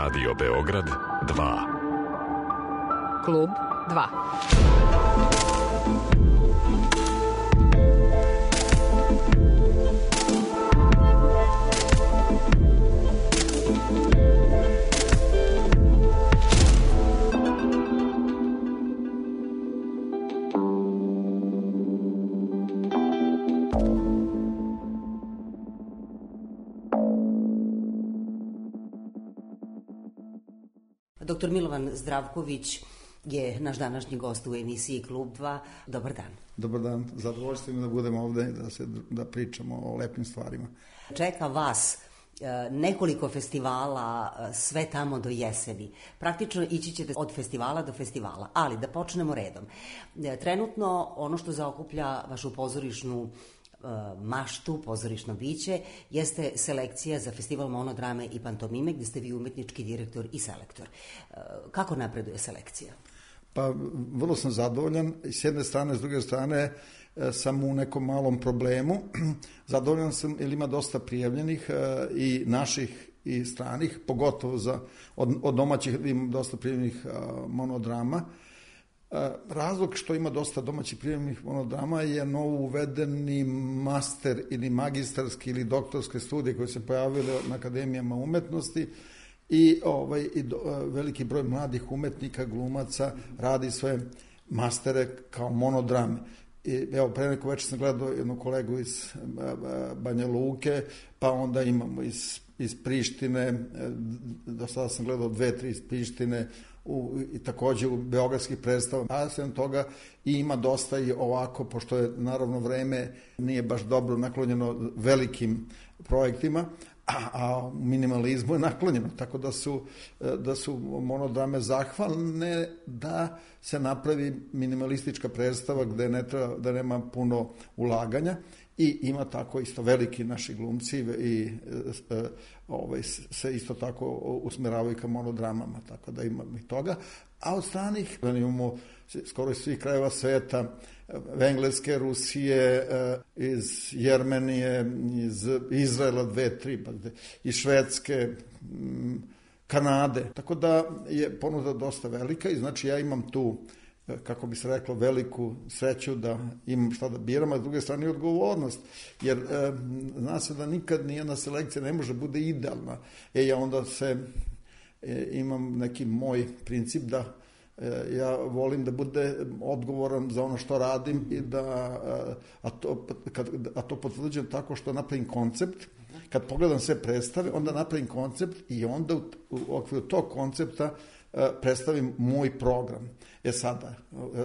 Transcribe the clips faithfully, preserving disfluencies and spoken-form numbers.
Radio Beograd dva. Klub dva. Doktor Milovan Zdravković je naš današnji gost u emisiji Klub dva. Dobar dan. Dobar dan. Zadovoljstvo mi da budemo ovde i da, se, da pričamo o lepim stvarima. Čeka vas nekoliko festivala, sve tamo do jeseni. Praktično ići ćete od festivala do festivala, ali da počnemo redom. Trenutno ono što zaokuplja vašu pozorišnu maštu, pozorišno biće, jeste selekcija za festival monodrame i pantomime, gde ste vi umetnički direktor i selektor. Kako napreduje selekcija? Pa, vrlo sam zadovoljan. S jedne strane, s druge strane, sam u nekom malom problemu. Zadovoljan sam jer ima dosta prijavljenih i naših i stranih, pogotovo za, od, od domaćih ima dosta prijavljenih monodrama. Razlog što ima dosta domaćih prijemnih monodrama je novo uvedeni master ili magistarski ili doktorske studije koje se pojavile na akademijama umetnosti i, ovaj, i do, veliki broj mladih umetnika, glumaca radi svoje mastere kao monodrame. I, evo, pre neko večer sam gledao jednu kolegu iz Banja Luke, pa onda imamo iz, iz Prištine, do sada sam gledao dve, tri iz Prištine, U, i takođe u beogradskih predstava, a sem toga i ima dosta i ovako, pošto je naravno vreme nije baš dobro naklonjeno velikim projektima, a, a minimalizmu je naklonjeno, tako da su, da su monodrame zahvalne da se napravi minimalistička predstava gde ne treba, da nema puno ulaganja. I ima tako isto veliki naši glumci i e, ovaj, se isto tako usmeravaju ka monodramama, tako da imamo i toga. A od stranih imamo skoro iz svih krajeva sveta, Engleske, Rusije, e, iz Jermenije, iz Izraela dve, tri, pa iz Švedske, m, Kanade. Tako da je ponuda dosta velika i znači ja imam tu, kako bi se reklo, veliku sreću da imam šta da biram, a s druge strane i odgovornost, jer e, zna se da nikad nijedna selekcija ne može bude idealna. E, ja onda se, e, imam neki moj princip da e, ja volim da bude odgovoran za ono što radim i da, a to, kad, a to potvrđujem tako što napravim koncept, kad pogledam sve predstave, onda napravim koncept i onda u, u okviru tog koncepta predstavim moj program. E sada,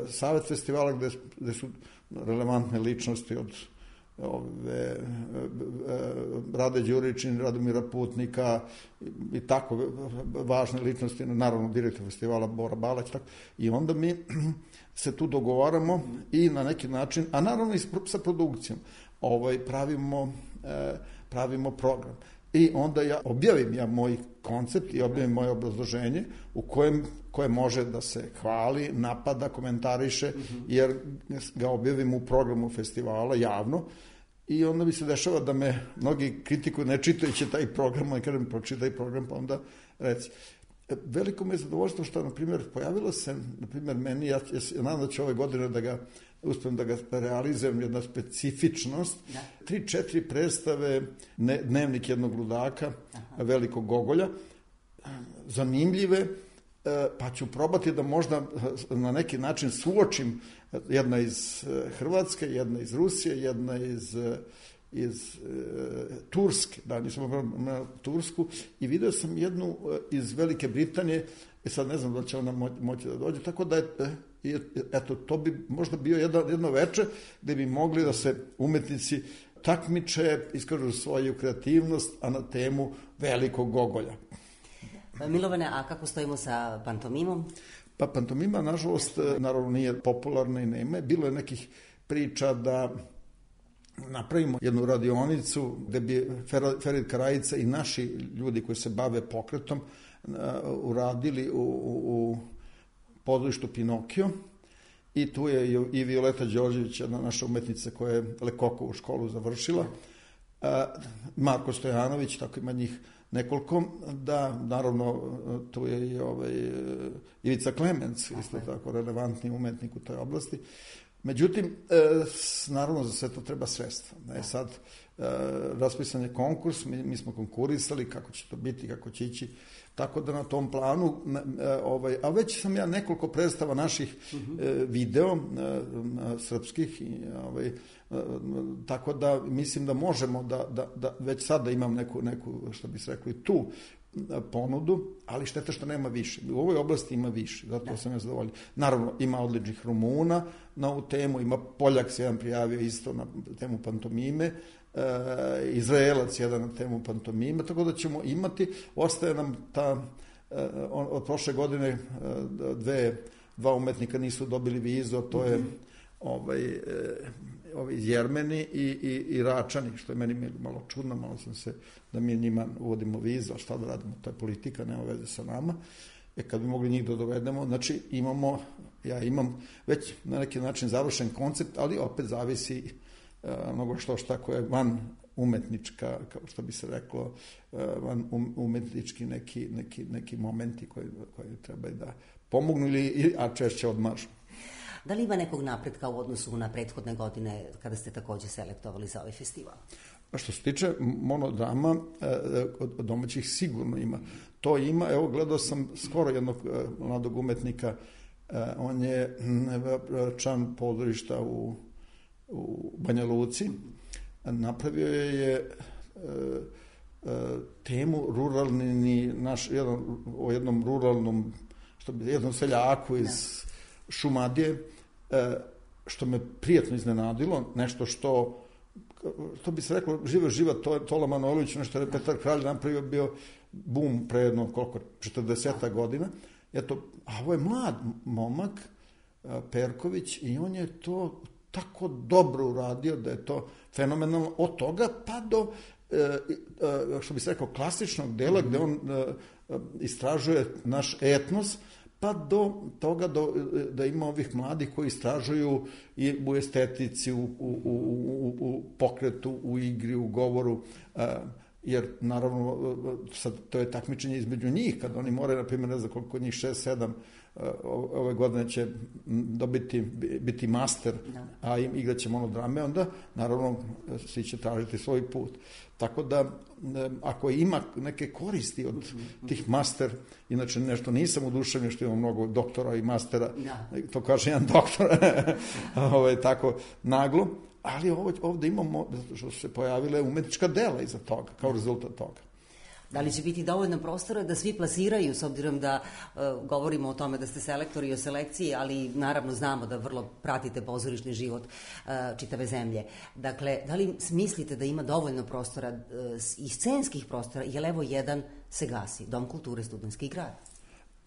Savet festivala gde, gde su relevantne ličnosti od ove, Rade Đuričin, Radomira Putnika i tako važne ličnosti, naravno direktor festivala Bora Balać, tako, i onda mi se tu dogovaramo i na neki način, a naravno i sa produkcijom, ovaj, pravimo, pravimo program. I onda ja objavim ja moj koncept i objavim moje obrazloženje u kojem koje može da se hvali, napada, komentariše, jer ga objavim u programu festivala javno i onda mi se dešava da me mnogi kritikuju ne čitajući taj program, ali kada mi pročitaj program pa onda reci. Veliko me je zadovoljstvo što, na primjer, pojavilo se, na primjer, meni, ja, ja nadam da ću ove godine da ga uspijem da ga realizujem, jedna specifičnost, da. tri, četiri predstave, ne, dnevnik jednog ludaka, aha, velikog Gogolja, zanimljive, pa ću probati da možda na neki način suočim jedna iz Hrvatske, jedna iz Rusije, jedna iz, iz e, Turske, da, nisam na Tursku, i video sam jednu iz Velike Britanije, i sad ne znam da će ona moći da dođe, tako da je, e, eto, to bi možda bio jedno, jedno veče gde bi mogli da se umetnici takmiče, iskažu svoju kreativnost, a na temu velikog Gogolja. Milovane, a kako stojimo sa pantomimom? Pa pantomima, nažalost, naravno nije popularna i nema. Bilo je nekih priča da napravimo jednu radionicu gde bi Ferit Karajica i naši ljudi koji se bave pokretom uradili u, u, u pozorištu Pinokio. I tu je i Violeta Đorđević, jedna naša umetnica koja je Lekokovu školu završila. Marko Stojanović, tako ima njih nekoliko, da, naravno, tu je i ovaj, Ivica Klemenc, isto tako relevantni umetnik u toj oblasti. Međutim, naravno, za sve to treba sredstva. Ne, sad, raspisan je konkurs, mi, mi smo konkurisali, kako će to biti, kako će ići, tako da na tom planu, ovaj, a već sam ja nekoliko predstava naših uh-huh. video, srpskih, ovaj, tako da mislim da možemo da, da, da već sad da imam neku, neku, što bi se rekli, tu ponudu, ali šteta što nema više. U ovoj oblasti ima više, zato da. sam ja zadovoljan. Naravno, ima odličnih Rumuna na ovu temu, ima Poljak se jedan prijavio isto na temu pantomime, e, Izraelac jedan na temu pantomime, tako da ćemo imati, ostaje nam ta, e, od prošle godine e, dve, dva umetnika nisu dobili vizu, to je mm-hmm. ovaj, e, ovi Jermeni i, i, i Račani, što je meni malo čudno, malo sam se, da mi njima uvodimo vizu, a šta da radimo, to je politika, nema veze sa nama. E kad bi mogli njih da dovedemo, znači imamo, ja imam već na neki način završen koncept, ali opet zavisi uh, mnogo što šta koje je van umetnička, kao što bi se reklo, uh, van um, umetnički neki, neki, neki momenti koji, koji treba da pomognu, ili, a češće odmažu. Da li ima nekog napretka u odnosu na prethodne godine kada ste takođe selektovali za ovaj festival? A što se tiče monodrama, od domaćih sigurno ima. To ima, evo gledao sam skoro jednog mladog umetnika, on je član pozorišta u, u Banja Luci, napravio je temu ruralni, naš, jedan, o jednom ruralnom, što bi, jednom seljaku iz Šumadije, što me prijatno iznenadilo, nešto što, što bi se reklo, živa živa Tola Manojlović, nešto je Petar Kralj napravio, bio bum pre jedno, koliko, četrdeseta godina. Eto, a ovo je mlad momak, Perković, i on je to tako dobro uradio da je to fenomenalno, od toga pa do, što bi se rekao, klasičnog dela, gde on istražuje naš etnos, pa do toga do, da ima ovih mladih koji istražuju i u estetici, u, u, u, u pokretu, u igri, u govoru, jer naravno sad to je takmičenje između njih, kad oni moraju, na primjer, ne znam koliko njih, šest, sedam, ove godine će dobiti, biti master, a igrat će monodrame, onda naravno svi će tražiti svoj put. Tako da, ako ima neke koristi od tih master, inače nešto nisam uduševljen što imam mnogo doktora i mastera, to kaže jedan doktor, ovaj, tako naglo, ali ovde imamo, što se pojavile umetnička dela iza toga, kao rezultat toga. Da li će biti dovoljno prostora da svi plasiraju, s obzirom da uh, govorimo o tome da ste selektori i o selekciji, ali naravno znamo da vrlo pratite pozorišni život uh, čitave zemlje. Dakle, da li mislite da ima dovoljno prostora uh, i scenskih prostora, jer evo jedan se gasi, Dom kulture Studentski grad?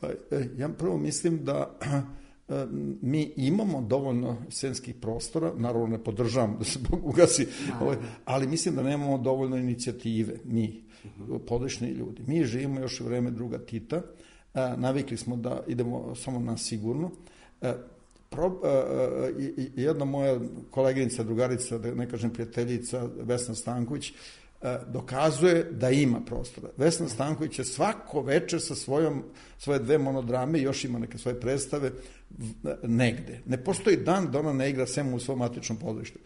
Pa, ja prvo mislim da mi imamo dovoljno scenskih prostora, naravno ne podržavam da se ugasi, ali mislim da nemamo dovoljno inicijative, mi, područni ljudi. Mi živimo još u vreme druga Tita, navikli smo da idemo samo na sigurno. Jedna moja koleginica, drugarica, da ne kažem prijateljica, Vesna Stanković, dokazuje da ima prostora. Vesna Stanković je svako večer sa svojom, svoje dve monodrame, još ima neke svoje predstave, negde. Ne postoji dan da ona ne igra sem u svom matičnom pozorištu.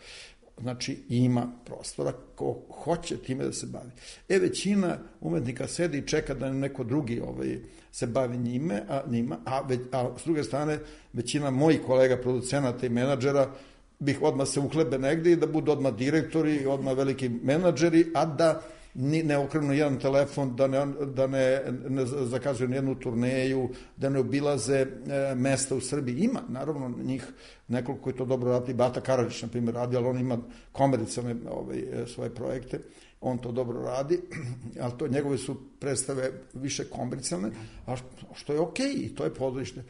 Znači, ima prostora, ko hoće time da se bavi. E, većina umetnika sedi i čeka da neko drugi ovaj, se bavi njime, a, njima, a, već, a s druge strane, većina mojih kolega, producenata i menadžera, bih odmah se uhlebe negde i da budu odmah direktori, odmah veliki menadžeri, a da ne okrenu jedan telefon, da ne, da ne, ne zakazuju jednu turneju, da ne obilaze e, mesta u Srbiji. Ima, naravno, njih nekoliko koji to dobro radi. Bata Karadžić, na primjer, radi, ali on ima komercijalne ovaj, svoje projekte. On to dobro radi, ali to njegove su predstave više komercijalne, a što je okej, i to je pozorište.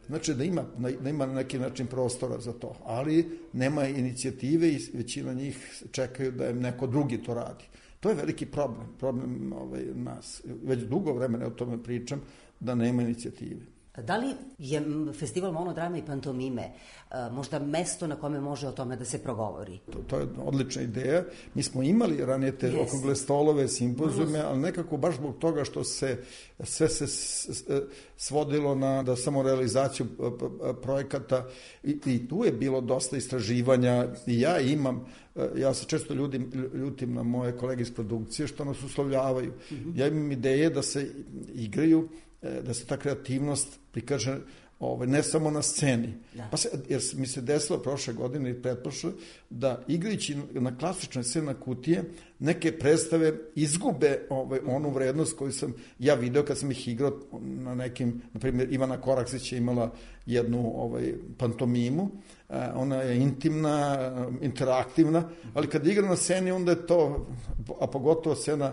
Znači da ima, da ima na neki način prostora za to, ali nema inicijative i većina njih čekaju da im neko drugi to radi. To je veliki problem, problem ovaj, nas. Već dugo vremena o tome pričam, da nema inicijative. Da li je festival monodrame i pantomime možda mesto na kome može o tome da se progovori? To, to je odlična ideja. Mi smo imali ranije te yes. okrugle stolove, simpozijume, ali nekako baš zbog toga što se sve se svodilo na da samo realizaciju projekata i, i tu je bilo dosta istraživanja i ja imam, ja se često ljutim, ljutim na moje kolege iz produkcije što nas uslovljavaju. Mm-hmm. Ja imam ideje da se igraju, da se ta kreativnost prikaže ovaj, ne samo na sceni. Da. Pa se, jer mi se desilo prošle godine i pretprošle da igrajući na klasičnoj sceni na kutije neke predstave izgube ovaj, onu vrednost koju sam ja video kad sam ih igrao na nekim, na primjer Ivana Koraksić je imala jednu ovaj, pantomimu, ona je intimna, interaktivna, ali kad igra na sceni onda je to, a pogotovo scena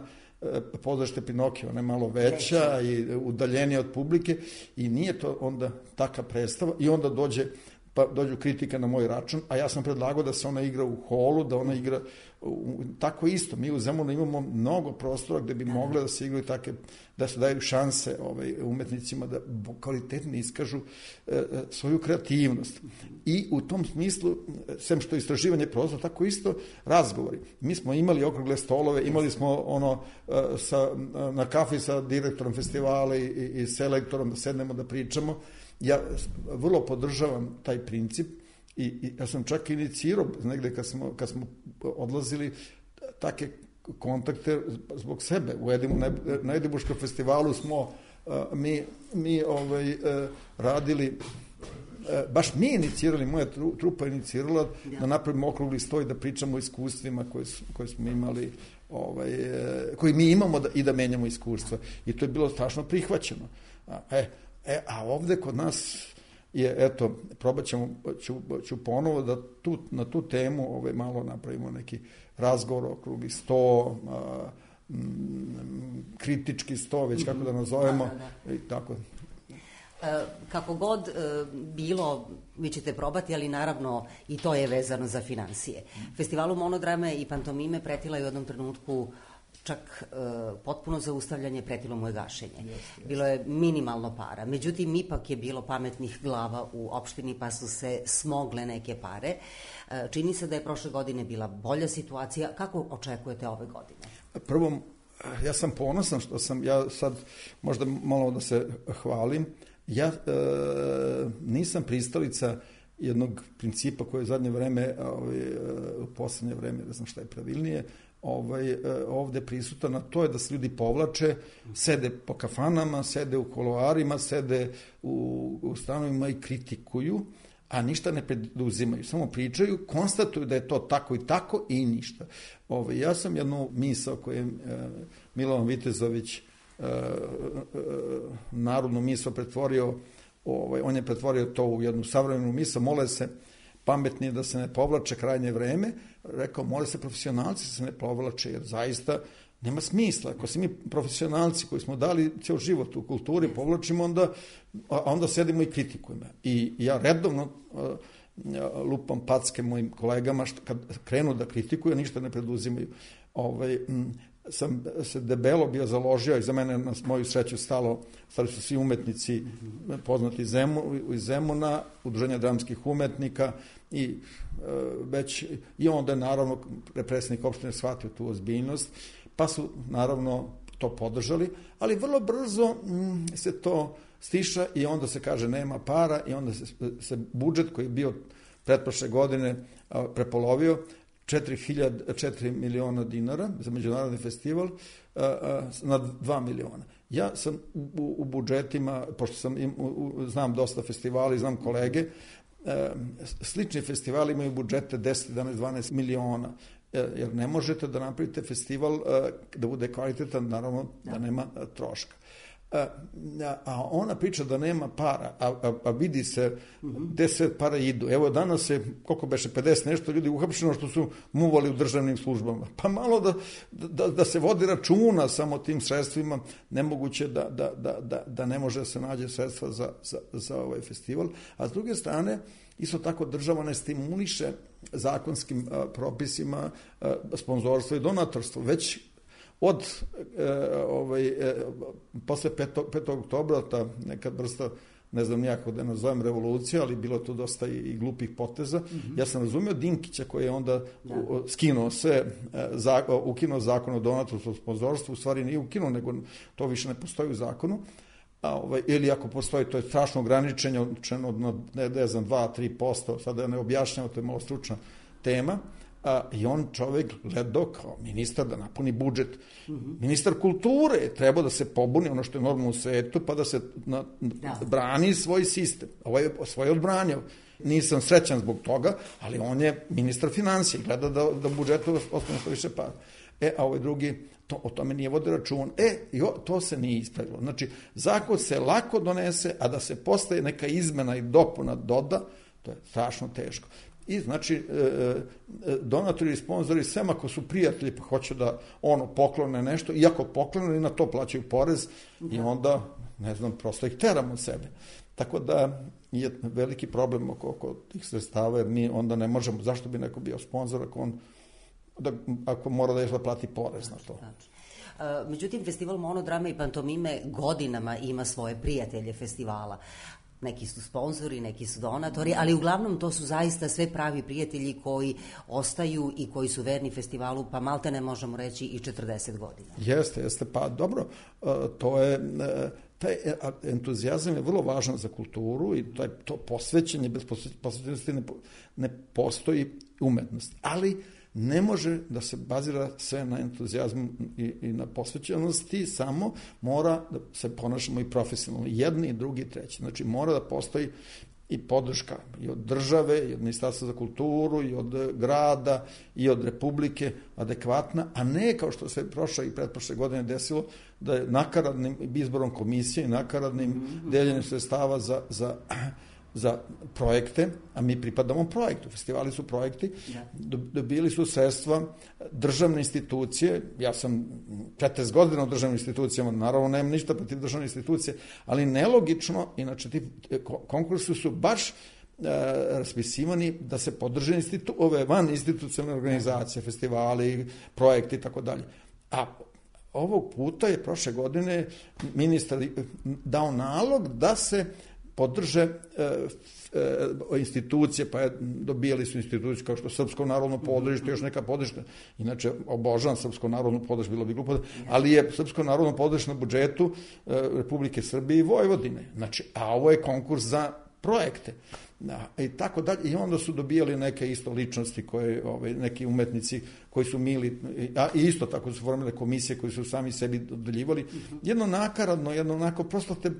Pozorište Pinokio, ona je malo veća i udaljenija od publike i nije to onda taka predstava i onda dođe, pa dođu kritika na moj račun, a ja sam predlagao da se ona igra u holu, da ona igra u, tako isto. Mi u Zemunu imamo mnogo prostora gde bi mogle da se igraju take, da se daju šanse ovaj, umetnicima da kvalitetno iskažu e, svoju kreativnost. I u tom smislu, sem što istraživanje prostora, tako isto razgovori. Mi smo imali okrugle stolove, imali smo ono e, sa, na kafi sa direktorom festivala i, i, i selektorom da sednemo da pričamo. Ja vrlo podržavam taj princip i, i ja sam čak inicirao negde kad smo, kad smo odlazili take kontakte zbog sebe. U Edimu, na Edimburškom festivalu smo uh, mi, mi ovaj, uh, radili, uh, baš mi inicirali, moja trupa inicirala da napravimo okrugli stoj, da pričamo o iskustvima koje, koje smo imali, ovaj, uh, koji mi imamo da, i da menjamo iskustva. I to je bilo strašno prihvaćeno. A, e, E, a ovde kod nas je, eto, probat ćemo, ću, ću ponovo da tu, na tu temu ovaj, malo napravimo neki razgovor, okrugli sto, a, m, kritički sto, već kako da nazovemo, da, da, da. I tako. E, kako god e, bilo, vi ćete probati, ali naravno i to je vezano za finansije. Festivalu monodrame i pantomime pretila je u jednom trenutku čak e, potpuno zaustavljanje, pretilo mu je gašenje. Yes, yes. Bilo je minimalno para. Međutim, ipak je bilo pametnih glava u opštini, pa su se smogle neke pare. E, čini se da je prošle godine bila bolja situacija. Kako očekujete ove godine? Prvo, ja sam ponosan što sam, ja sad možda malo da se hvalim, ja e, nisam pristalica jednog principa koji je u zadnje vreme, ovaj, u poslednje vreme, ne znam šta je pravilnije, ovaj, ovde prisutan, a to je da se ljudi povlače, sede po kafanama, sede u koloarima, sede u, u stanovima i kritikuju, a ništa ne preduzimaju, samo pričaju, konstatuju da je to tako i tako i ništa. Ovaj, ja sam jednu misao koju je e, Milovan Vitezović e, e, narodnu misao pretvorio, ovaj, on je pretvorio to u jednu savremenu misao, mole se pametnije da se ne povlače krajnje vreme, rekao, mole se profesionalci da se ne povlače, jer zaista nema smisla. Ako se mi profesionalci koji smo dali ceo život u kulturi povlačimo, onda, a onda sedimo i kritikujemo. I ja redovno a, lupam packe mojim kolegama što kad krenu da kritikuju, ništa ne preduzimaju. Ovaj, m, sam se debelo bio založio i za mene na moju sreću stalo, stali su svi umetnici poznati iz Zemuna, Udruženja dramskih umetnika i e, već i onda je naravno predsjednik opštine shvatio tu ozbiljnost, pa su naravno to podržali, ali vrlo brzo m, se to stiša i onda se kaže nema para i onda se, se budžet koji je bio pretprošle godine a, prepolovio, četiri miliona dinara za međunarodni festival a, a, na dva miliona. Ja sam u, u budžetima, pošto sam im, u, znam dosta festivala i znam kolege, a, slični festivali imaju budžete deset, jedanaest, dvanaest miliona, a, jer ne možete da napravite festival a, da bude kvalitetan, naravno da nema a, troška. A, a ona priča da nema para, a, a, a vidi se gde sve para idu. Evo danas je, koliko beše, pedeset nešto ljudi uhapšeno što su muvali u državnim službama. Pa malo da, da, da se vodi računa samo tim sredstvima, nemoguće da, da, da, da, da ne može da se nađe sredstva za, za, za ovaj festival. A s druge strane, isto tako država ne stimuliše zakonskim a, propisima a, sponzorstvo i donatorstvo, već od e, ovaj, e, posle petog oktobra ta neka vrsta ne znam nijako da nazovem revolucija, ali bilo tu dosta i, i glupih poteza. Mm-hmm. Ja sam razumio Dinkića koji je onda da. skinuo sve, za, ukinuo zakon o donatorskom sponzorstvu, u stvari nije ukinuo, nego to više ne postoji u zakonu. A, ovaj, ili ako postoji, to je strašno ograničenje, na, ne, ne znam, dva do tri posto, sada ne objašnjamo, to je malo stručna tema. A, i on čovjek gledao kao ministar da napuni budžet. Mm-hmm. Ministar kulture je trebao da se pobuni, ono što je normalno u svetu, pa da se na, da. brani svoj sistem. Ovo je svoj odbranjao. Nisam srećan zbog toga, ali on je ministar financija, gleda da, da budžetu ostane što više para. E, a ovaj drugi, to, o tome nije vode račun. E, jo, to se nije ispravilo. Znači, zakon se lako donese, a da se postaje neka izmena i dopuna doda, to je strašno teško. I znači, donatori i sponzori, sem ako su prijatelji pa hoće da ono poklone nešto, iako poklone i na to plaćaju porez da. I onda, ne znam, prosto ih teramo od sebe. Tako da je veliki problem oko, oko tih sredstava, jer mi onda ne možemo, zašto bi neko bio sponzor ako on, da, ako mora da još da plati porez na to. Znači. Međutim, festival monodrame i pantomime godinama ima svoje prijatelje festivala. Neki su sponzori, neki su donatori, ali uglavnom to su zaista sve pravi prijatelji koji ostaju i koji su verni festivalu, pa malte ne možemo reći i četrdeset godina. Jeste, jeste, pa dobro, to je, taj entuzijazam je vrlo važan za kulturu i to, je, to posvećenje, bez posvećenosti ne, ne postoji umetnost, ali ne može da se bazira sve na entuzijazmu i, i na posvećenosti, samo mora da se ponašamo i profesionalno, jedni, drugi, treći. Znači mora da postoji i podrška i od države, i od Ministarstva za kulturu, i od grada, i od Republike adekvatna, a ne kao što se prošle i pretprošle godine desilo, da je nakaradnim izborom komisije i nakaradnim mm-hmm. deljenjem sredstava za, za za projekte, a mi pripadamo projektu. Festivali su projekti, dobili su sredstva državne institucije, ja sam četrdeset godina u državnim institucijama, naravno nemam ništa protiv državne institucije, ali nelogično, inače ti konkursi su baš e, raspisivani da se podrže institu, ove van institucionalne organizacije, festivali, projekti i tako dalje. A ovog puta je prošle godine ministar dao nalog da se podrže e, e, institucije, pa je, dobijali su institucije kao što Srpsko narodno podružje, još neka podrška, inače obožavam Srpsko narodno podružje, bilo bi glupo, ali je Srpsko narodno podružje na budžetu e, Republike Srbije i Vojvodine. Znači, a ovo je konkurs za projekte. Da, i tako dalje. I onda su dobijali neke isto ličnosti, koje, ovaj, neki umetnici koji su mili, a isto tako su formile komisije koji su sami sebi dodeljivali. Jedno nakaradno, jedno onako, prosto te,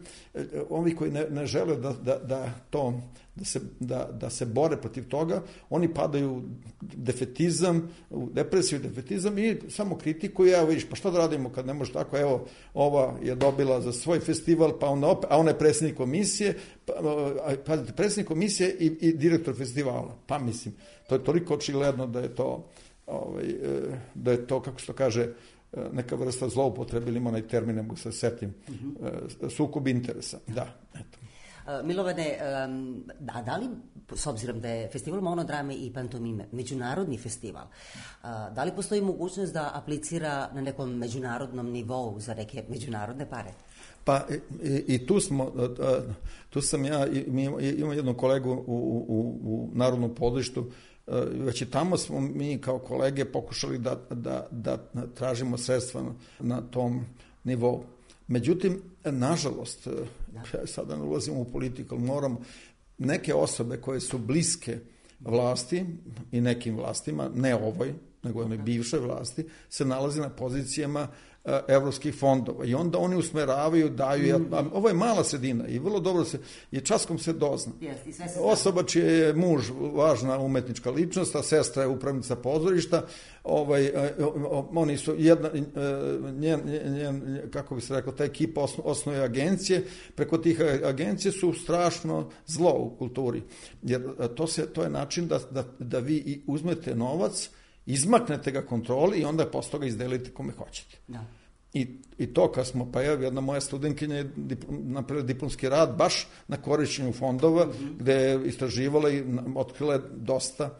ovi koji ne, ne žele da, da, da to, da se, da, da se bore protiv toga, oni padaju u defetizam, u depresiju, defetizam i samo kritikuju, evo vidiš, pa što da radimo kad ne može tako, evo, ova je dobila za svoj festival, pa onda opet, a ona je predsjednik komisije, pa, pa predsjednik komisije i, i direktor festivala. Pa mislim, to je toliko očigledno da je to, ovaj, da je to, kako se to kaže, neka vrsta zloupotrebe, ili ima onaj termin, ne mogu se setim, mm-hmm. sukob interesa. Da, eto. Milovane, da, da li, s obzirom da je festival monodrame i pantomime međunarodni festival, da li postoji mogućnost da aplicira na nekom međunarodnom nivou za neke međunarodne pare? Pa i, i tu smo, tu sam ja, imam jednog kolegu u, u, u Narodnom pozorištu, već i tamo smo mi kao kolege pokušali da, da, da tražimo sredstva na, na tom nivou. Međutim, nažalost, ja sada ne ulazimo u politiku, ali moramo, neke osobe koje su bliske vlasti i nekim vlastima, ne ovoj, nego onoj bivšoj vlasti, se nalaze na pozicijama evropskih fondova i onda oni usmeravaju, daju, mm. ovo je mala sredina i vrlo dobro se, je časkom se dozna. Yes, se osoba čiji je muž važna umetnička ličnost, a sestra je upravnica pozorišta, ovaj, oni su jedna, njen, njen, kako bi se rekao, ta ekipa osnuje agencije, preko tih agencije su strašno zlo u kulturi, jer to, se, to je način da, da, da vi uzmete novac, izmaknete ga kontroli i onda posle toga izdelite kome hoćete. Da. I, I to kad smo, pa evo, jedna moja studentkinja je napravila diplomski rad baš na korišćenju fondova, mm-hmm. gde je istraživala i otkrila dosta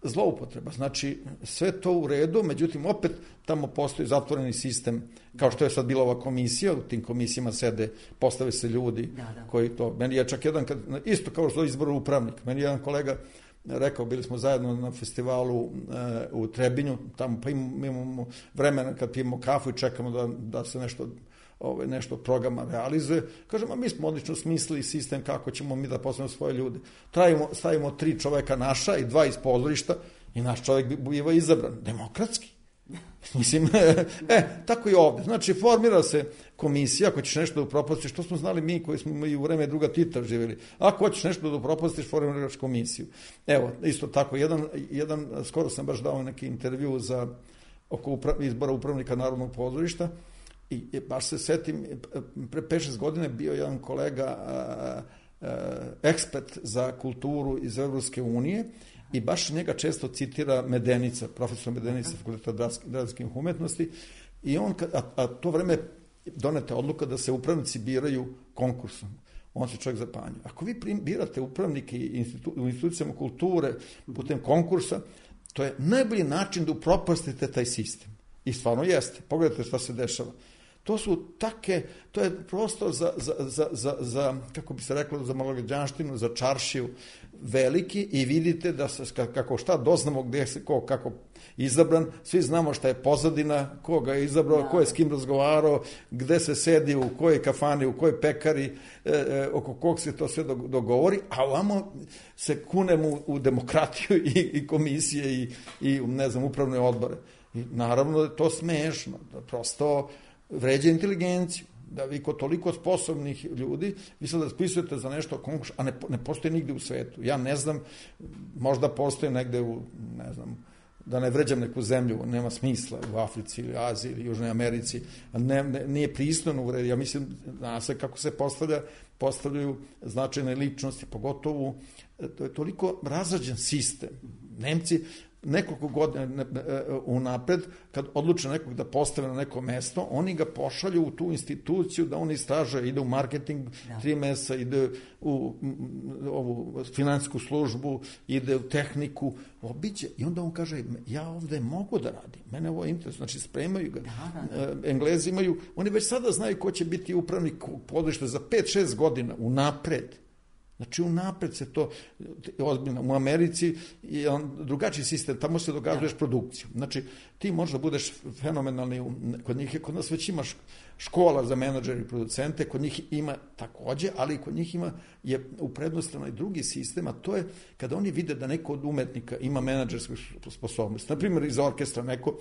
zloupotreba. Znači, sve to u redu, međutim, opet tamo postoji zatvoreni sistem, kao što je sad bila ova komisija, u tim komisijama sede, postave se ljudi da, da. koji to... Meni je čak jedan, kad, isto kao što je izbor upravnik, meni je jedan kolega rekao, bili smo zajedno na festivalu uh, u Trebinju, tamo pa imamo, imamo vremena kad pijemo kafu i čekamo da, da se nešto... Ove, nešto programa realizuje. Kažemo, mi smo odlično smislili sistem kako ćemo mi da postavimo svoje ljude. Trajimo, stavimo tri čoveka naša i dva iz pozorišta i naš čovek biva izabran. Demokratski. Mislim, e, tako i ovde. Znači, formira se komisija, ako ćeš nešto da upropastiš, što smo znali mi koji smo i u vreme druga Tita živjeli. Ako hoćeš nešto da upropastiš, formiraš komisiju. Evo, isto tako, jedan, jedan skoro sam baš dao neki intervju za oko upra, izbora upravnika Narodnog pozorišta. I baš se setim, pre pet šest godine bio jedan kolega a, a, ekspert za kulturu iz Evropske unije i baš njega često citira Medenica, profesor Medenica Fakulteta dramskih umetnosti i on, a, a to vreme donete odluka da se upravnici biraju konkursom. On se čovjek zapanja. Ako vi birate upravnike institu, u institucijama kulture putem konkursa, to je najbolji način da upropastite taj sistem. I stvarno jeste. Pogledajte šta se dešava. To su take, to je prostor za, za, za, za, za kako bi se reklo, za malograđanštinu, za čaršiju veliki i vidite da se, kako šta doznamo gde se, ko, kako izabran, svi znamo šta je pozadina, ko ga je izabrao, ko je s kim razgovarao, gde se sedi, u kojoj kafani, u kojoj pekari, e, e, oko kog se to sve dogovori, a ovamo se kunemo u, u demokratiju i, i komisije i, i, ne znam, upravne odbore. I naravno je to smešno, da prosto vređa inteligenciju, da vi kod toliko sposobnih ljudi, vi sad raspisujete za nešto konkurs, a ne, ne postoje nigde u svetu. Ja ne znam, možda postoje negde u, ne znam, da ne vređam neku zemlju, nema smisla u Africi ili Aziji ili Južnoj Americi, ne, ne, nije pristojno uvrediti. Ja mislim, zna se kako se postavlja, postavljaju značajne ličnosti, pogotovo, to je toliko razrađen sistem. Nemci nekoliko godina unapred, kad odluče nekog da postave na neko mesto, oni ga pošalju u tu instituciju da on istražuje, ide u marketing ja. tri meseca, ide u ovu finansijsku službu, ide u tehniku, obiđe i onda on kaže, ja ovde mogu da radim, mene ovo je interes, znači spremaju ga. Da, da, da. Englezi imaju, oni već sada znaju ko će biti upravnik područja za pet šest godina unapred. Znači, unapred se to, ozbiljno, u Americi je on drugačiji sistem, tamo se događuješ produkciju. Znači, ti možda budeš fenomenalni, kod njih, kod nas već imaš škola za menadžere i producente, kod njih ima takođe, ali kod njih ima, je u prednostrano i drugi sistem, a to je kada oni vide da neko od umetnika ima menadžersku sposobnost. Naprimjer, iz orkestra neko,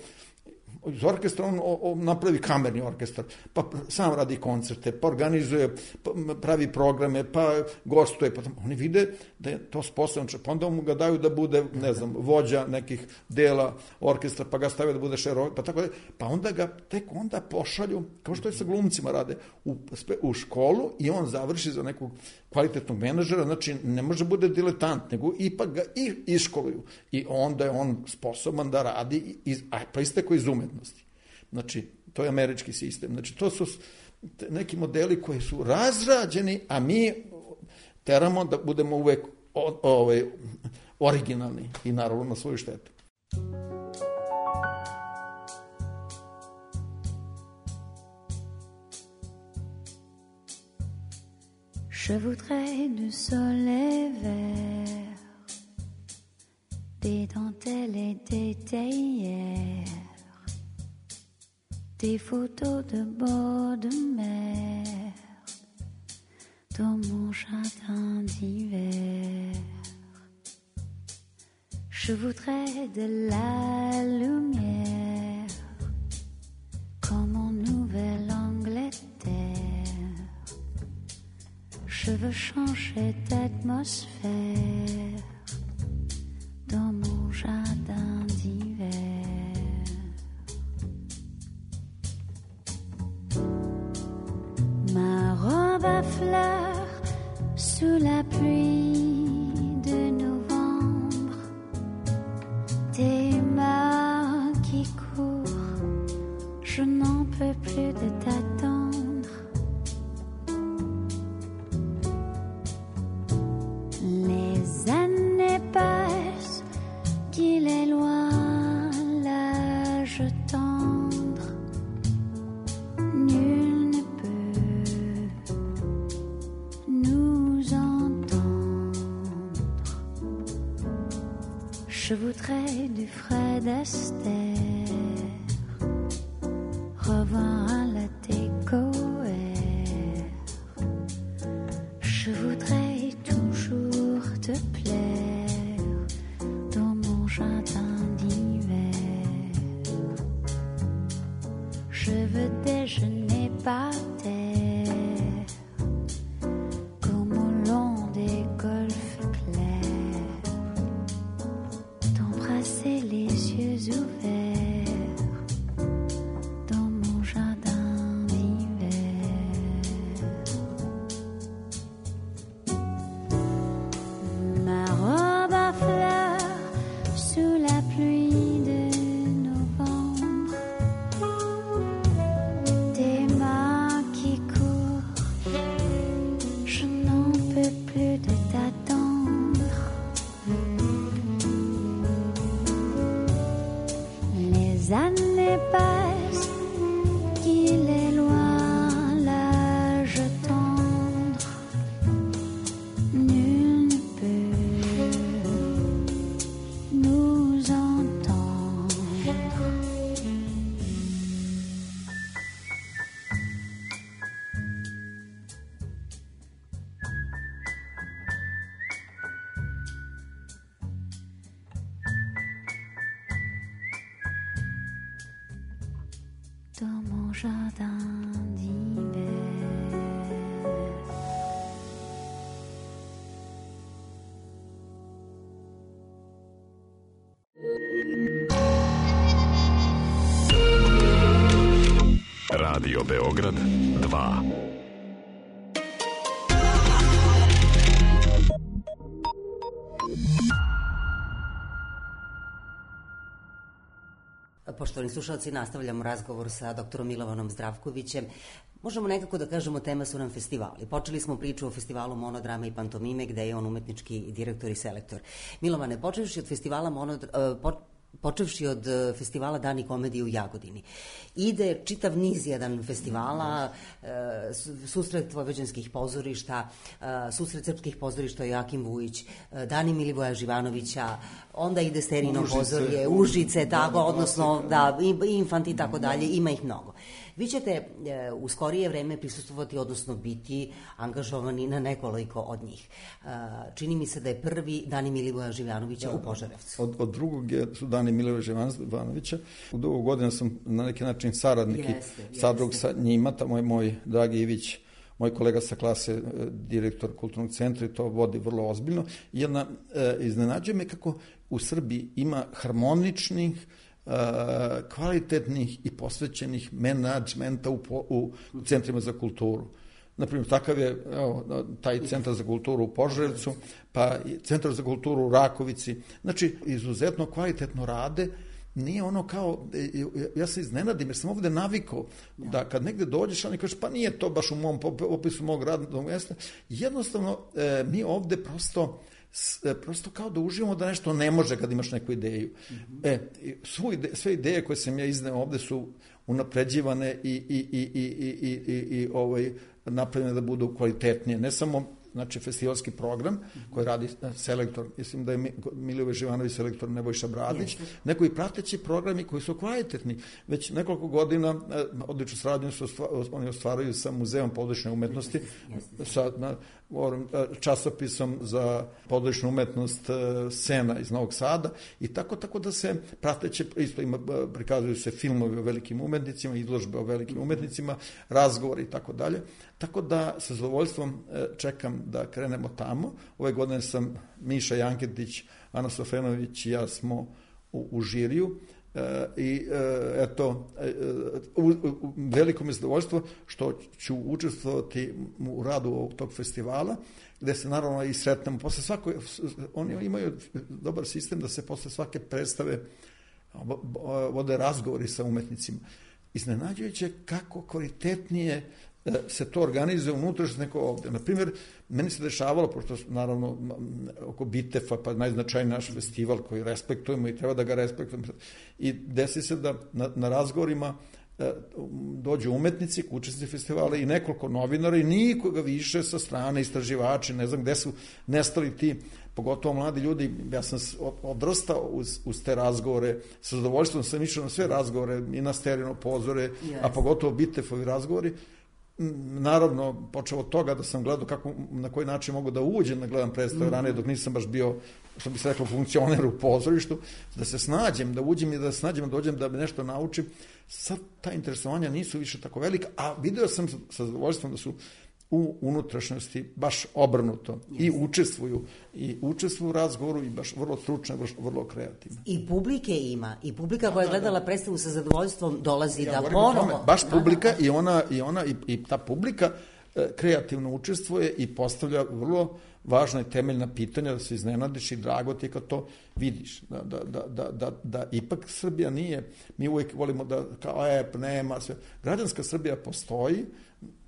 iz orkestra on o, o, napravi kamerni orkestar, pa sam radi koncerte, pa organizuje, pa pravi programe, pa gostuje, pa oni vide da je to sposobno, pa onda mu ga daju da bude, ne znam, vođa nekih dela orkestra, pa ga stavio da bude šero, pa tako da, pa onda ga tek onda pošalju, kao što je sa glumcima rade, u, u školu i on završi za nekog kvalitetnog menadžera, znači ne može bude diletant, nego ipak ga i iškoluju i onda je on sposoban da radi, iz, a pa isteko iz umetnosti. Znači, to je američki sistem. Znači, to su neki modeli koji su razrađeni, a mi teramo da budemo uvek o, ove, originalni i naravno na svoju štetu. Je voudrais du soleil vert, des dentelles et des théières, des photos de bord de mer dans mon jardin d'hiver. Je voudrais de la lumière comme en Nouvelle-Angleterre. Je veux changer d'atmosphère dans mon jardin d'hiver. Ma robe à fleurs sous la pluie de novembre, tes mains qui courent, je n'en peux plus de t'attendre. qu'il est loin l'âge tendre, nul ne peut nous entendre. Je voudrais du Fred Astaire, revoir un latte coër. Je voudrais toujours te plaire dans mon jardin d'hiver. Je veux déjeuner par terre comme au long des golfes clairs, t'embrasser les yeux ouverts dans mon jardin d'hiver. Ma robe à fleurs sous la pluie de novembre, tes mains qui courent, je n'en peux plus de t'attendre. Les années passent, qu'il est loin l'âge tendre, nul ne peut nous entendre. Dans mon jardin d'hiver. Radio Beograd dva. Poštovani slušalci, nastavljamo razgovor sa doktorom Milovanom Zdravkovićem. Možemo nekako da kažemo, tema su nam festivali. Počeli smo priču o festivalu monodrame i pantomime, gde je on umetnički direktor i selektor. Milovane, počevši od festivala monodrame, počevši od festivala Dani komedije u Jagodini. Ide čitav niz jedan festivala, susret vojvođanskih pozorišta, susret srpskih pozorišta Joakim Vujić, Dani Milivoja Živanovića, onda ide Sterino pozorje, Užice, tako, odnosno da, Infanti i tako dalje, ima ih mnogo. Vi ćete u skorije vreme prisustvovati, odnosno biti angažovani na nekoliko od njih. Čini mi se da je prvi Dani Milivoja Živanovića u Požarevcu. Od, od drugog je, su Dani Milivoja Živanovića. U dugo godina sam na neki način saradnik i sadrug sa njima. Tamo je moj dragi Ivić, moj kolega sa klase, direktor kulturnog centra, i to vodi vrlo ozbiljno. Jedna, e, iznenađuje me kako u Srbiji ima harmoničnih, kvalitetnih i posvećenih menadžmenta u, u, u centrima za kulturu. Naprimjer, takav je evo, taj centar za kulturu u Požarevcu, pa centar za kulturu u Rakovici. Znači, izuzetno kvalitetno rade. Nije ono kao, ja se iznenadim jer sam ovde navikao da kad negde dođeš, oni kažeš pa nije to baš u mom opisu mog radnog mjesta. Jednostavno, mi ovde prosto prosto kao da uživamo da nešto ne može kad imaš neku ideju. Mm-hmm. E, svu ide, sve ideje koje sam ja izneo ovde su unapređivane i, i, i, i, i, i, i ovaj, napravljene da budu kvalitetnije. Ne samo, znači, festivalski program koji radi selektor, mislim da je Milivoje Živanović selektor Nebojša Bradić, yes. Nego i prateći programi koji su kvalitetni. Već nekoliko godina odličnu saradnju su oni ostvaruju sa Muzeom pozorišne umetnosti, yes. Sa na, časopisom za pozorišnu umetnost Sena iz Novog Sada, i tako tako da se prateće, isto ima, prikazuju se filmovi o velikim umetnicima, izložbe o velikim umetnicima, razgovori i tako dalje. Tako da sa zadovoljstvom čekam da krenemo tamo. Ove godine sam Miša Janketić, Ana Sofenović i ja smo u, u žiriju. E, i e, eto e, u, u, veliko mi je zadovoljstvo što ću učestvovati u radu tog festivala, gde se naravno i sretnemo posle svake, oni imaju dobar sistem da se posle svake predstave vode razgovori sa umetnicima. Iznenađujuće kako kvalitetnije se to organizuje unutrašnjost neko ovde. Naprimjer, meni se dešavalo, pošto naravno oko Bitefa, pa najznačajniji naš festival koji respektujemo i treba da ga respektujemo, i desi se da na, na razgovorima dođu umetnici, učesnici festivala i nekoliko novinara i nikoga više sa strane, istraživači, ne znam gde su nestali ti, pogotovo mladi ljudi. Ja sam odrastao uz, uz te razgovore, sa zadovoljstvom sam išao na sve razgovore i na Sterino pozore, yes. a pogotovo Bitefovi razgovori. Naravno, počeo od toga da sam gledao kako, na koji način mogu da uđem da gledam predstave mm-hmm. ranije, dok nisam baš bio, što bi se reklo, funkcioner u pozorištu, da se snađem, da uđem i da se snađem, da dođem, da me nešto naučim. Sad ta interesovanja nisu više tako velika, a video sam sa zadovoljstvom da su u unutrašnjosti baš obrnuto yes. i učestvuju i učestvuju u razgovoru i baš vrlo stručno, vrlo kreativno. I publike ima, i publika koja je gledala predstavu sa zadovoljstvom dolazi ja, da ponovo. Baš publika i ona i ona i, i ta publika e, kreativno učestvuje i postavlja vrlo važna i temeljna pitanja, da se iznenadiš i drago ti kad to vidiš. Da, da, da, da, da, da ipak Srbija nije, mi uvijek volimo da kao e, nema sve. Građanska Srbija postoji,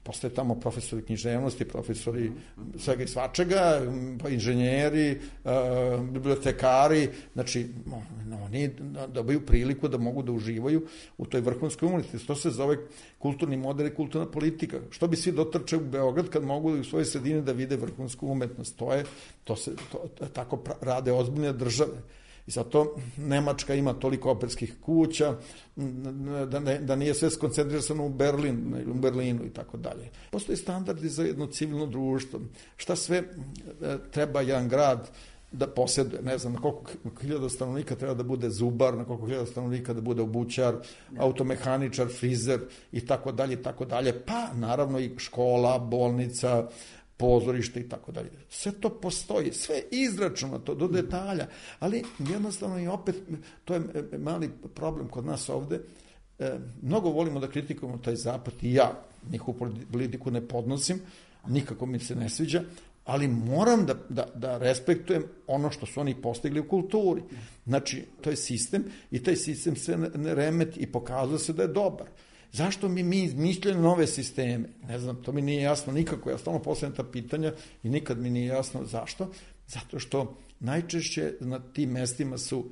postoje tamo profesori književnosti, profesori svega i svačega, pa inženjeri, uh, bibliotekari, znači oni dobiju priliku da mogu da uživaju u toj vrhunskoj umetnosti. To se zove kulturni model i kulturna politika. Što bi svi dotrče u Beograd kad mogu u svojoj sredini da vide vrhunsku umetnost? To je, to se, to, tako rade ozbiljne države. I zato Nemačka ima toliko operskih kuća, da, ne, da nije sve skoncentrisano u Berlin, u Berlinu i tako dalje. Postoji standardi za jedno civilno društvo. Šta sve treba jedan grad da posjeduje, ne znam, na koliko hiljada stanovnika treba da bude zubar, na koliko hiljada stanovnika da bude obućar, automehaničar, frizer i tako dalje i tako dalje. Pa naravno i škola, bolnica, pozorište i tako dalje. Sve to postoji, sve izračunato do detalja, ali jednostavno i opet, to je mali problem kod nas ovde, e, mnogo volimo da kritikujemo taj zapad i ja njihovu politiku ne podnosim, nikako mi se ne sviđa, ali moram da, da, da respektujem ono što su oni postigli u kulturi. Znači, to je sistem i taj sistem se ne remeti i pokazuje se da je dobar. Zašto mi mi izmišljamo nove sisteme? Ne znam, to mi nije jasno nikako. Ja stalno postavljam ta pitanja i nikad mi nije jasno zašto. Zato što najčešće na tim mestima su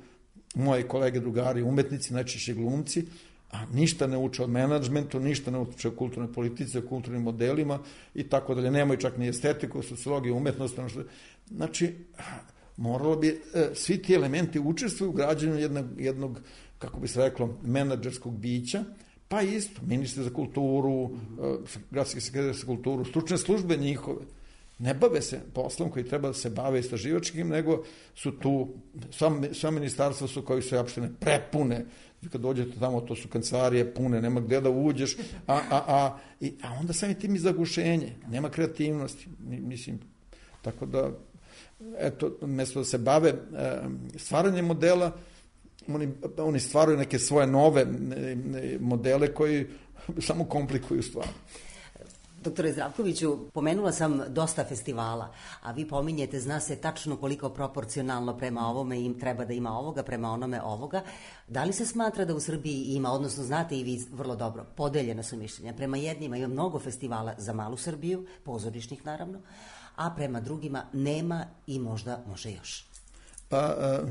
moji kolege, drugari, umetnici, najčešće glumci, a ništa ne uče od menadžmentu, ništa ne uče o kulturnoj politici, o kulturnim modelima i tako dalje. Nemaju čak ni estetiku, sociologiju, umetnost. Znači, moralo bi, svi ti elementi učestvuju u građenju jednog, jednog, kako bi se reklo, menadžerskog bića, pa isto, ministri za kulturu, mm-hmm. gradski sekretar za kulturu, stručne službe njihove, ne bave se poslom koji treba da se bave istraživačkim, nego su tu, sva, sva ministarstva su koji su opštine prepune, kad dođete tamo, to su kancelarije pune, nema gde da uđeš, a, a, a, i, a onda sami tim i zagušenje, nema kreativnosti, mislim, tako da, eto, mesto da se bave e, stvaranjem modela, Oni, oni stvaraju neke svoje nove modele koji samo komplikuju stvar. Doktore Zdravkoviću, pomenula sam dosta festivala, a vi pominjete, zna se tačno koliko proporcionalno prema ovome im treba da ima ovoga, prema onome ovoga. Da li se smatra da u Srbiji ima, odnosno znate i vi vrlo dobro, podeljena su mišljenja. Prema jednima ima mnogo festivala za malu Srbiju, pozorišnih naravno, a prema drugima nema i možda može još. Pa... Uh...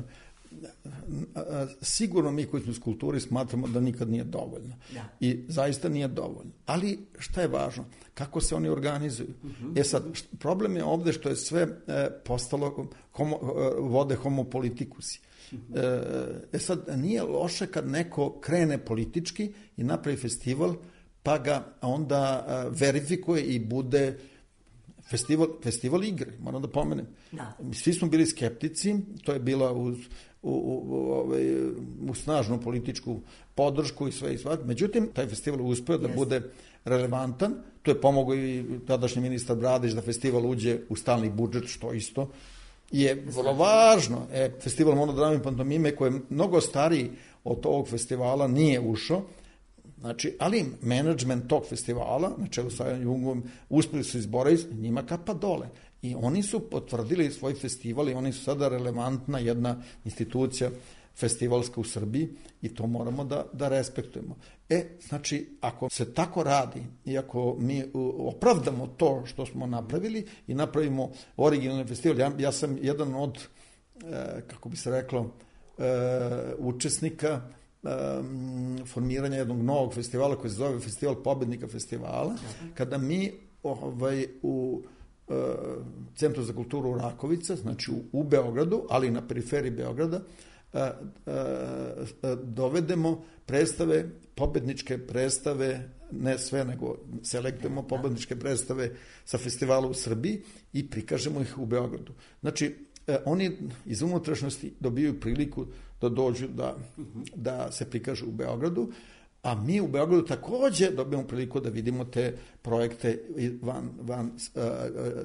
sigurno mi koji smo iz kulturi smatramo da nikad nije dovoljno. Da. I zaista nije dovoljno. Ali šta je važno? Kako se oni organizuju? Uh-huh. E sad, problem je ovde što je sve e, postalo homo, vode homopolitikusi. Uh-huh. E sad, nije loše kad neko krene politički i napravi festival, pa ga onda e, verifikuje i bude festival, festival igre, moram da pomenem. Da. Svi smo bili skeptici, to je bila uz U, u, u, u snažnu političku podršku i sve i sve. Međutim, taj festival uspeo da yes. bude relevantan. Tu je pomogao i tadašnji ministar Bradić da festival uđe u stalni budžet, što isto je vrlo važno. E, festival monodrame i pantomime, koji je mnogo stariji od ovog festivala, nije ušao. Znači, ali menadžment tog festivala, na čelu sa Jungom, uspeli su izboriti, njima kapa dole. I oni su potvrdili svoj festival i oni su sada relevantna jedna institucija festivalska u Srbiji i to moramo da, da respektujemo. E, znači, ako se tako radi i ako mi opravdamo to što smo napravili i napravimo originalni festival, ja, ja sam jedan od, e, kako bi se reklo, e, učesnika e, formiranja jednog novog festivala koji se zove Festival pobednika festivala, kada mi ovaj, u Centru za kulturu Rakovica, znači u, u Beogradu, ali i na periferiji Beograda, a, a, a, dovedemo predstave, pobedničke predstave, ne sve, nego selektujemo pobedničke predstave sa festivala u Srbiji i prikažemo ih u Beogradu. Znači, a, oni iz unutrašnjosti dobijaju priliku da dođu da, da se prikažu u Beogradu, a mi u Beogradu takođe dobijemo priliku da vidimo te projekte van, van uh,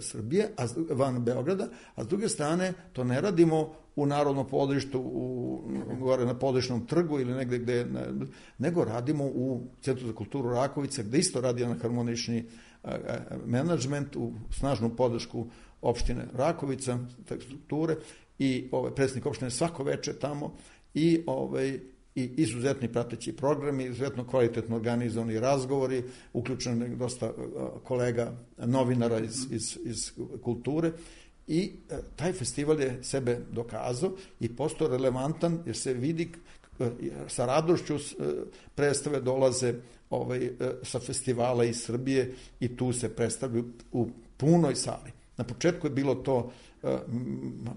Srbije, a, van Beograda, a s druge strane to ne radimo u Narodnom pozorištu, u, gore na Pozorišnom trgu ili negde gde, ne, nego radimo u Centru za kulturu Rakovica, gde isto radi jedan harmonični uh, menadžment, u snažnu podršku opštine Rakovica, strukture, i ovaj, predsjednik opštine svako veče tamo i ovaj, i izuzetni prateći programi, izuzetno kvalitetno organizovani razgovori, uključeno je dosta kolega, novinara iz, iz, iz kulture i taj festival je sebe dokazao i postao relevantan jer se vidi sa radošću predstave dolaze ovaj, sa festivala iz Srbije i tu se predstavljaju u punoj sali. Na početku je bilo to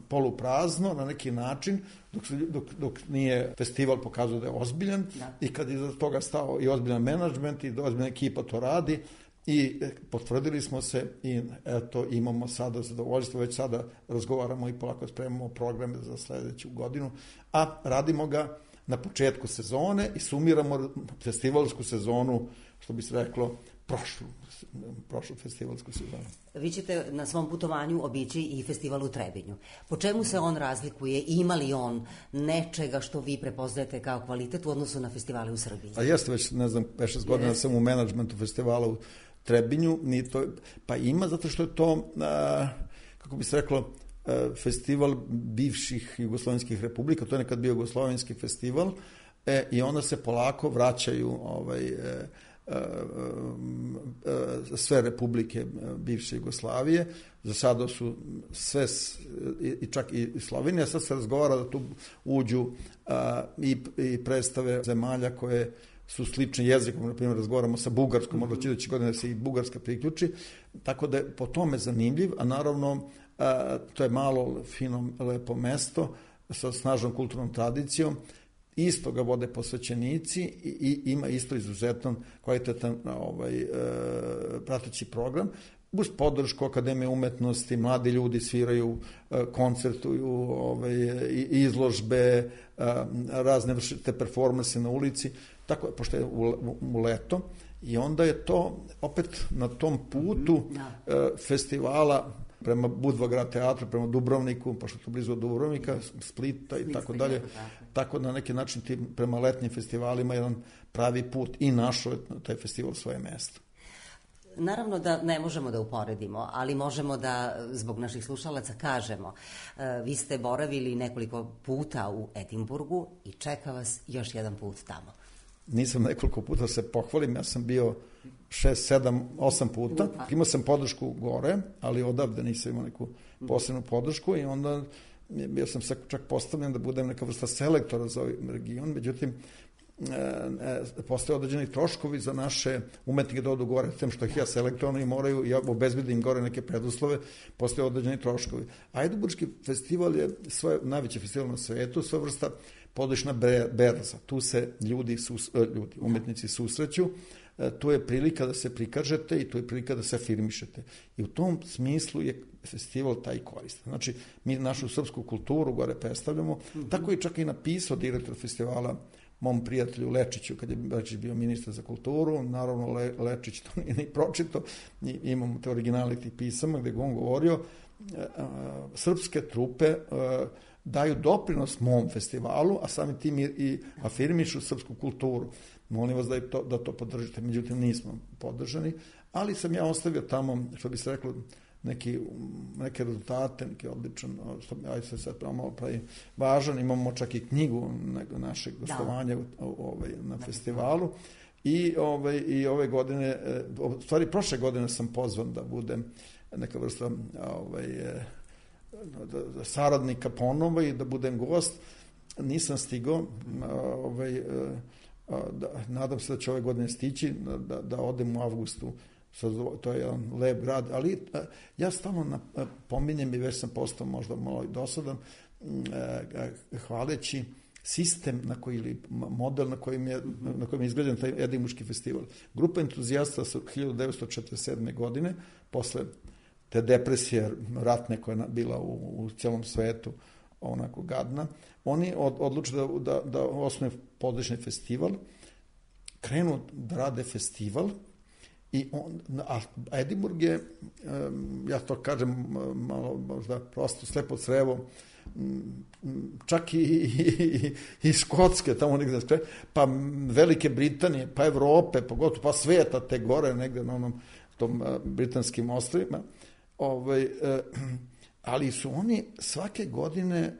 poluprazno na neki način, dok, dok, dok nije festival pokazao da je ozbiljan da. I kad je iza toga stao i ozbiljan menadžment i ozbiljna ekipa to radi i potvrdili smo se i eto imamo sada zadovoljstvo, već sada razgovaramo i polako spremamo programe za sledeću godinu, a radimo ga na početku sezone i sumiramo festivalsku sezonu, što bi se reklo, prošlu, prošlu festivalsku sezonu. Vi ćete na svom putovanju obići i festival u Trebinju. Po čemu se on razlikuje? Ima li on nečega što vi prepoznajete kao kvalitet u odnosu na festivale u Srbiji? A jeste već, ne znam, pet šest godina sam u menadžmentu festivala u Trebinju, ni to, pa ima zato što je to, a, kako bi se reklo, a, festival bivših jugoslovenskih republika, to je nekad bio jugoslovenski festival, e, i onda se polako vraćaju ovaj, e, sve republike bivše Jugoslavije. Za sada su sve, i čak i Slovenija, sad se razgovara da tu uđu i, i predstave zemalja koje su slični jezikom, na primjer razgovaramo sa Bugarskom, možda će idući godine da se i Bugarska priključi, tako da je po tome zanimljiv, a naravno to je malo fino, lepo mesto sa snažnom kulturnom tradicijom, isto ga vode posvećenici i, i ima isto izuzetan kvalitetan ovaj, e, prateći program. Uz podršku Akademije umetnosti, mladi ljudi sviraju, e, koncertuju, ovaj, izložbe, e, razne vršite performanse na ulici, tako, pošto je u, u, u leto. I onda je to opet na tom putu e, festivala prema Budva teatru, prema Dubrovniku, pošto je to blizu od Dubrovnika, Splita i tako dalje. Tako na neki način ti prema letnjim festivalima jedan pravi put i našao je taj festival svoje mesto. Naravno da ne možemo da uporedimo, ali možemo da zbog naših slušalaca kažemo. Vi ste boravili nekoliko puta u Edinburgu i čeka vas još jedan put tamo. Nisam nekoliko puta se pohvalim, ja sam bio šest, sedam, osam puta. Imao sam podršku gore, ali odavde nisam imao neku posebnu podršku i onda bio sam čak postavljen da budem neka vrsta selektora za ovaj region, međutim, postoje određeni troškovi za naše umetnike da odu gore, tem što ih ja selektovano i moraju, ja obezbedim gore neke preduslove, postoje određeni troškovi. A Edinburški festival je svoj najveći festival na svetu, sva vrsta područna berza. Tu se ljudi, sus, ljudi, umetnici susreću, tu je prilika da se prikažete i tu je prilika da se afirmišete. I u tom smislu je festival taj korist. Znači, mi našu srpsku kulturu gore predstavljamo, mm-hmm. Tako je čak i napisao direktor festivala mom prijatelju Lečiću, kad je Lečić bio ministar za kulturu, naravno Le, Lečić to nije ni pročito, imamo te originale tih pisama gde je on govorio, srpske trupe daju doprinos mom festivalu, a sami tim i afirmišu srpsku kulturu. Molim vas da, to, da to podržite, međutim nismo podržani, ali sam ja ostavio tamo, što bi se reklo, neki, neke rezultate, neki odličan, što aj se sad malo pravi važan, imamo čak i knjigu našeg gostovanja da. ovaj, na da. festivalu i, ovaj, i ove godine, u stvari prošle godine sam pozvan da budem neka vrsta ovaj, da, saradnika ponovo i da budem gost. Nisam stigao, ovaj, da, nadam se da će ove godine stići, da, da odem u avgustu. To je jedan lep grad, ali ja stalno pominjem i već sam postao možda malo i dosadan, hvaleći sistem na koji, ili model na kojim je, na kojim je izgrađen taj Edinburški festival. Grupa entuzijasta su hiljadu devetsto četrdeset sedme. godine, posle te depresije ratne koja je bila u, u cijelom svetu, onako gadna, oni od, odluče da, da, da osnuju područni festival, krenu da rade festival. I on, a Edinburg je, ja to kažem malo možda prosto slepo crevo, čak i, i, i Škotske, tamo negde, pa Velike Britanije, pa Evrope, pogotovo pa sveta, te gore negde na onom tom britanskim ostrvima, ovaj, ali su oni svake godine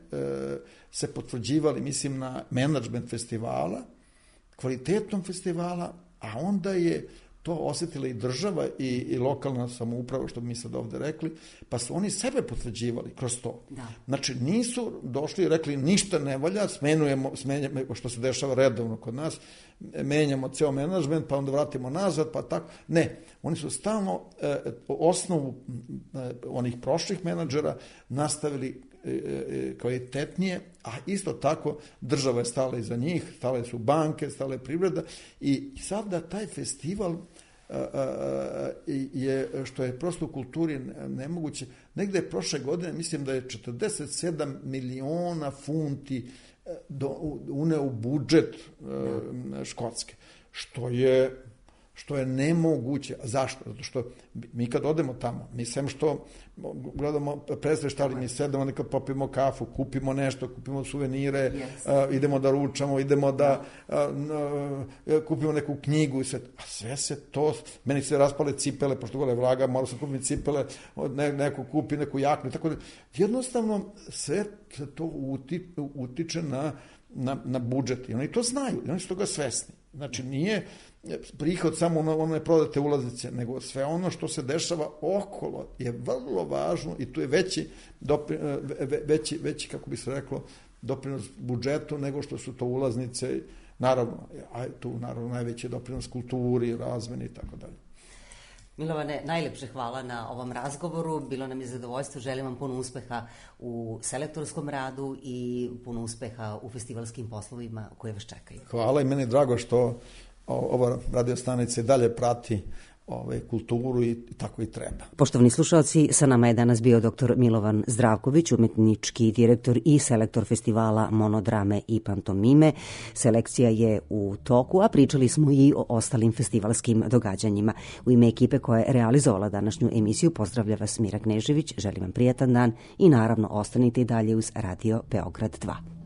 se potvrđivali, mislim, na menadžment festivala, kvalitetom festivala, a onda je to osjetila i država i, i lokalna samouprava, što bi mi sad ovde rekli, pa su oni sebe potvrđivali kroz to. Da. Znači, nisu došli i rekli ništa ne valja, smenujemo, smenjamo, što se dešava redovno kod nas, menjamo ceo menadžment, pa onda vratimo nazad, pa tako. Ne, oni su stalno eh, osnovu eh, onih prošlih menadžera nastavili kvalitetnije, a isto tako država je stala iza njih, stale su banke, stala je privreda i sada taj festival a, a, je, što je prosto u kulturi nemoguće, negde je prošle godine, mislim da je četrdeset sedam miliona funti do, uneo u budžet a, Škotske, što je što je nemoguće. A zašto? Zato što mi kad odemo tamo, mi sem što gledamo predstave šta li mi sedemo, nekad popijemo kafu, kupimo nešto, kupimo suvenire, yes. uh, idemo da ručamo, idemo da uh, uh, kupimo neku knjigu i sve. A sve se to, meni se raspale cipele, pošto gole vlaga, morao sam kupiti cipele, ne, neko kupi neku jaknu, tako da jednostavno sve se to uti, utiče na, na, na budžet i oni to znaju, i oni su toga svesni. Znači nije prihod samo ono, one prodate ulaznice, nego sve ono što se dešava okolo je vrlo važno i tu je veći, dopri, veći, veći kako bi se reklo, doprinos budžetu nego što su to ulaznice, naravno, a tu naravno najveći doprinos kulturi, razmeni i tako dalje. Milovane, najlepše hvala na ovom razgovoru, bilo nam je zadovoljstvo, želim vam puno uspeha u selektorskom radu i puno uspeha u festivalskim poslovima koje vas čekaju. Hvala i meni je drago što ova radio stanica dalje prati ove, kulturu i tako i treba. Poštovani slušalci, sa nama je danas bio doktor Milovan Zdravković, umetnički direktor i selektor festivala Monodrame i pantomime. Selekcija je u toku, a pričali smo i o ostalim festivalskim događanjima. U ime ekipe koja je realizovala današnju emisiju pozdravlja vas Mira Knežević, želim vam prijatan dan i naravno ostanite i dalje uz Radio Beograd dva.